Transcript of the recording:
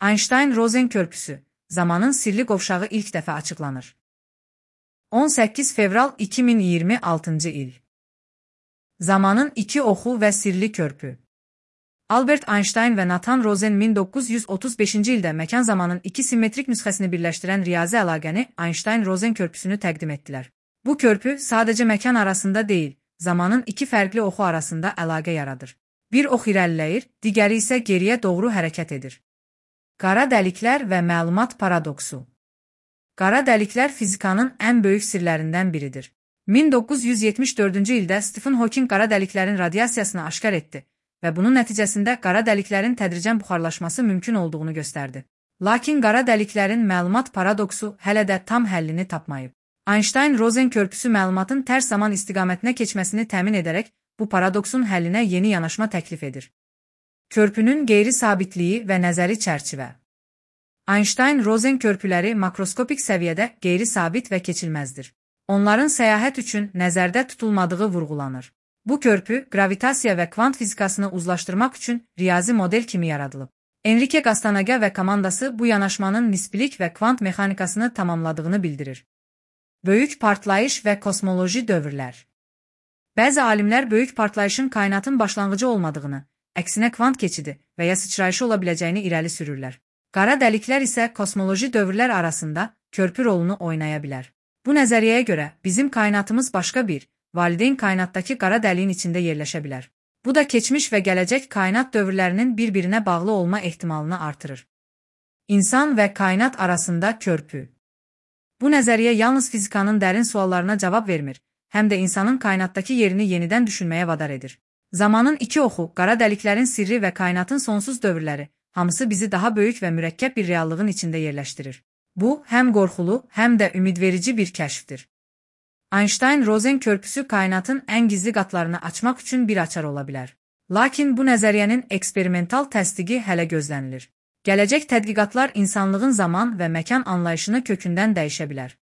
Einstein-Rosen körpüsü, zamanın sirli qovşağı ilk dəfə açıqlanır. 18 fevral 2026 il. Zamanın iki oxu və sirli körpü. Albert Einstein və Nathan Rosen 1935-ci ildə məkan-zamanın iki simmetrik nüsxəsini birləşdirən riyazi əlaqəni Einstein-Rosen körpüsünü təqdim etdilər. Bu körpü sadəcə məkan arasında deyil, zamanın iki fərqli oxu arasında əlaqə yaradır. Bir ox irəliləyir, digəri isə geriyə doğru hərəkət edir. Qara dəliklər və məlumat paradoksu. Qara dəliklər fizikanın ən böyük sirlərindən biridir. 1974-cü ildə Stephen Hawking qara dəliklərin radiasiyasını aşkar etdi və bunun nəticəsində qara dəliklərin tədricən buxarlaşması mümkün olduğunu göstərdi. Lakin qara dəliklərin məlumat paradoksu hələ də tam həllini tapmayıb. Einstein-Rosen körpüsü məlumatın tərs zaman istiqamətinə keçməsini təmin edərək bu paradoksun həllinə yeni yanaşma təklif edir. Körpünün qeyri-sabitliyi və nəzəri çərçivə. Einstein-Rosen körpüləri makroskopik səviyyədə qeyri-sabit və keçilməzdir. Onların səyahət üçün nəzərdə tutulmadığı vurğulanır. Bu körpü, gravitasiya və kvant fizikasını uzlaşdırmaq üçün riyazi model kimi yaradılıb. Enrique Gastanega və komandası bu yanaşmanın nisbilik və kvant mexanikasını tamamladığını bildirir. Böyük partlayış və kosmoloji dövrlər. Bəzi alimlər böyük partlayışın kainatın başlanğıcı olmadığını, əksinə kvant keçidi və ya sıçrayışı ola biləcəyini irəli sürürlər. Qara dəliklər isə kosmoloji dövrlər arasında körpü rolunu oynaya bilər. Bu nəzəriyyəyə görə bizim kainatımız başqa bir, valideyn kainatdakı qara dəliyin içində yerləşə bilər. Bu da keçmiş və gələcək kainat dövrlərinin bir-birinə bağlı olma ehtimalını artırır. İnsan və kainat arasında körpü. Bu nəzəriyyə yalnız fizikanın dərin suallarına cavab vermir, həm də insanın kainatdakı yerini yenidən düşünməyə vadar edir. Zamanın iki oxu, qara dəliklərin sirri və kainatın sonsuz dövrləri, hamısı bizi daha böyük və mürəkkəb bir reallığın içində yerləşdirir. Bu, həm qorxulu, həm də ümidverici bir kəşfdir. Einstein-Rosen körpüsü kainatın ən gizli qatlarını açmaq üçün bir açar ola bilər. Lakin bu nəzəriyyənin eksperimental təsdiqi hələ gözlənilir. Gələcək tədqiqatlar insanlığın zaman və məkan anlayışını kökündən dəyişə bilər.